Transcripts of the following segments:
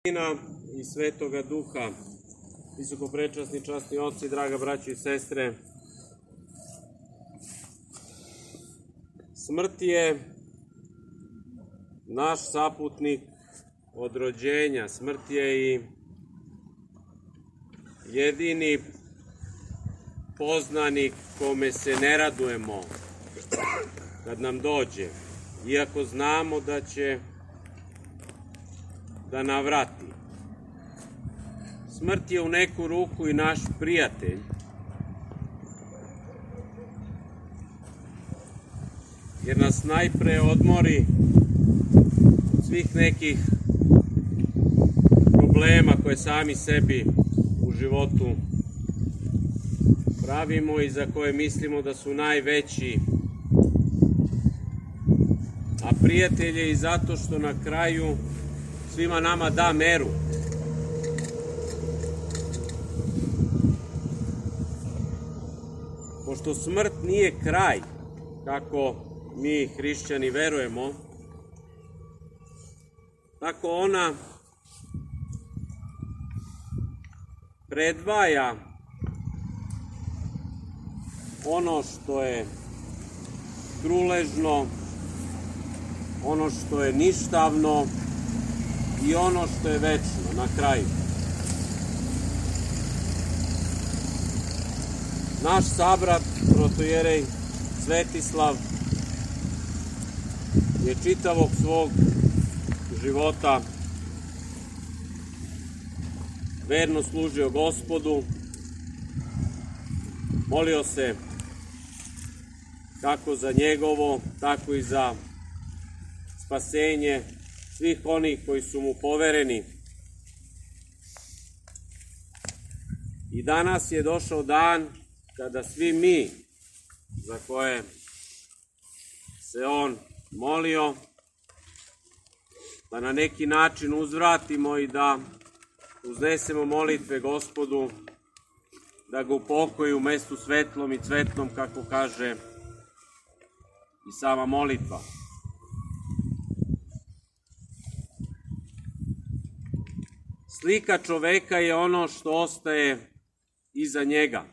Sina i Svetoga Duha, visokoprečasni časni oci, draga braćo i sestre. Smrt je naš saputnik od rođenja, smrt je i jedini poznanik kome se ne radujemo kad nam dođe, iako znamo da će da navrati. Smrt je u neku ruku i naš prijatelj, jer nas najpre odmori od svih nekih problema koje sami sebi u životu pravimo i za koje mislimo da su najveći. A prijatelj je i zato što na kraju svima nama da meru. Pošto smrt nije kraj, kako mi hrišćani verujemo, tako ona predvaja ono što je truležno, ono što je ništavno i ono što je večno na kraju. Naš sabrat, protojerej Svetislav, je čitavog svog života verno služio Gospodu, molio se kako za njegovo, tako i za spasenje svih onih koji su mu povereni. I danas je došao dan kada svi mi, za koje se on molio, da na neki način uzvratimo i da uznesemo molitve Gospodu, da ga upokoji u mestu svetlom i cvetnom, kako kaže i sama molitva. Slika čoveka je ono što ostaje iza njega.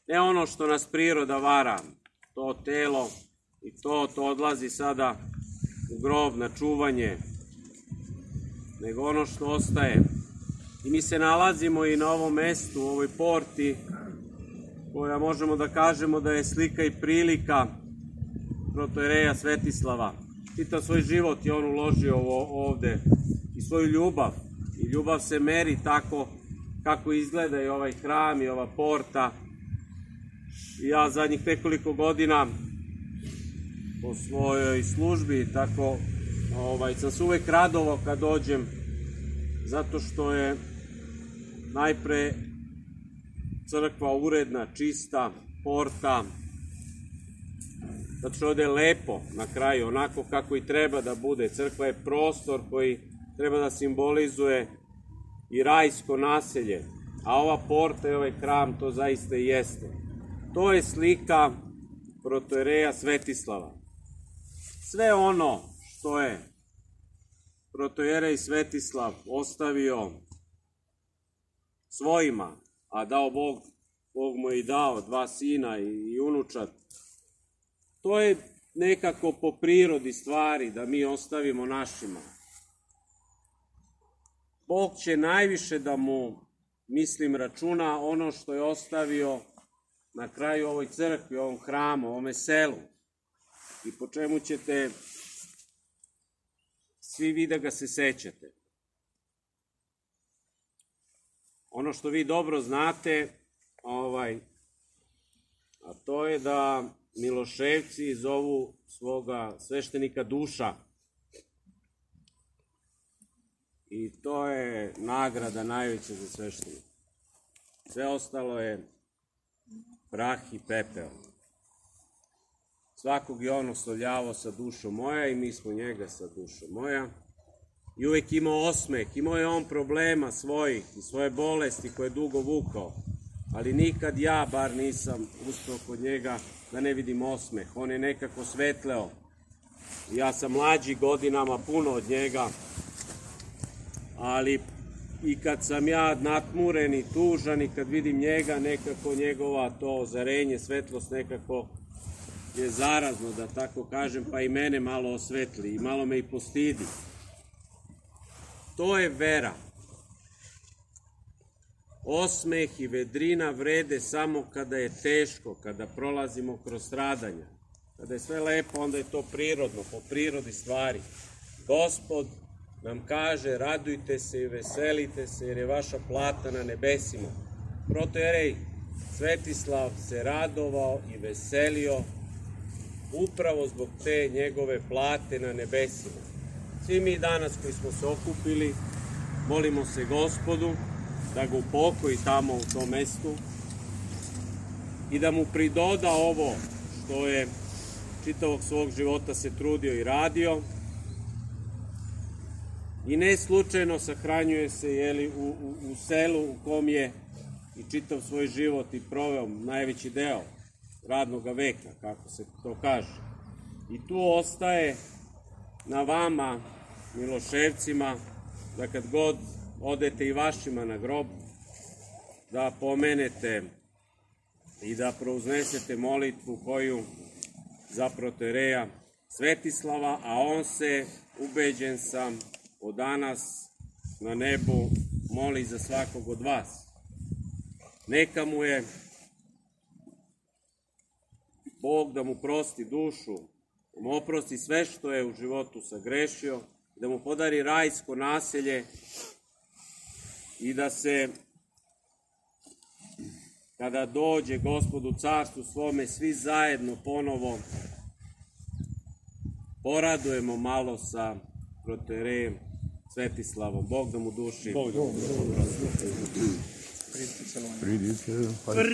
Ne ono što nas priroda vara, to telo i to odlazi sada u grob na čuvanje, nego ono što ostaje. I mi se nalazimo i na ovom mestu, u ovoj porti, koja možemo da kažemo da je slika i prilika protojereja Svetislava. Čitav svoj život je on uložio ovde i svoju ljubav. I ljubav se meri tako kako izgleda i ovaj hram i ova porta. I ja zadnjih nekoliko godina po svojoj službi tako sam se uvek radovao kad dođem, zato što je najpre crkva uredna, čista, porta, zato što ovde je lepo na kraju, onako kako i treba da bude. Crkva je prostor koji treba da simbolizuje i rajsko naselje, a ova porta i ovaj hram to zaista i jeste. To je slika protojereja Svetislava. Sve ono što je protojerej Svetislav ostavio svojima, a dao Bog, Bog mu je i dao 2 sina i unučad, to je nekako po prirodi stvari da mi ostavimo našima. Bog će najviše da mu, mislim, računa ono što je ostavio na kraju ovoj crkvi, ovom hramu, ovome selu, i po čemu ćete svi vi da ga se sećate. Ono što vi dobro znate, a to je da Miloševci zovu svoga sveštenika Duša. I to je nagrada najveća za sveštenika. Sve ostalo je prah i pepeo. Svakog je on oslovljavao sa dušom moja i mi smo njega sa dušom moja. I uvek imao osmeh, imao je on problema svojih i svoje bolesti koje je dugo vukao. Ali nikad ja bar nisam uspeo kod njega da ne vidim osmeh. On je nekako svetleo. Ja sam mlađi godinama puno od njega. ali i kad sam ja natmuren i tužan i kad vidim njega, nekako njegova to ozarenje, svetlost nekako je zarazno, da tako kažem, pa i mene malo osvetli i malo me i postidi. To je vera. Osmeh i vedrina vrede samo kada je teško, kada prolazimo kroz stradanja. Kada je sve lepo, onda je to prirodno, po prirodi stvari. Gospod nam kaže, radujte se i veselite se, jer je vaša plata na nebesima. Protojerej Svetislav se radovao i veselio upravo zbog te njegove plate na nebesima. Svi mi danas koji smo se okupili, molimo se Gospodu da ga upokoji tamo u tom mestu i da mu pridoda ovo što je čitavog svog života se trudio i radio. I ne slučajno sahranjuje se u selu u kom je i čitav svoj život i proveo najveći deo radnog veka, kako se to kaže. I tu ostaje na vama, Miloševcima, da kad god odete i vašima na grob, da pomenete i da prouznesete molitvu koju za protojereja Svetislava, a on se, ubeđen sam, od danas na nebu moli za svakog od vas. Neka mu je Bog da mu prosti dušu, da mu oprosti sve što je u životu sagrešio, da mu podari rajsko naselje i da se, kada dođe Gospod u carstvu svome, svi zajedno ponovo poradujemo malo sa protojerejem Svetislavom. Bog da mu duši. Bog da mu prosti.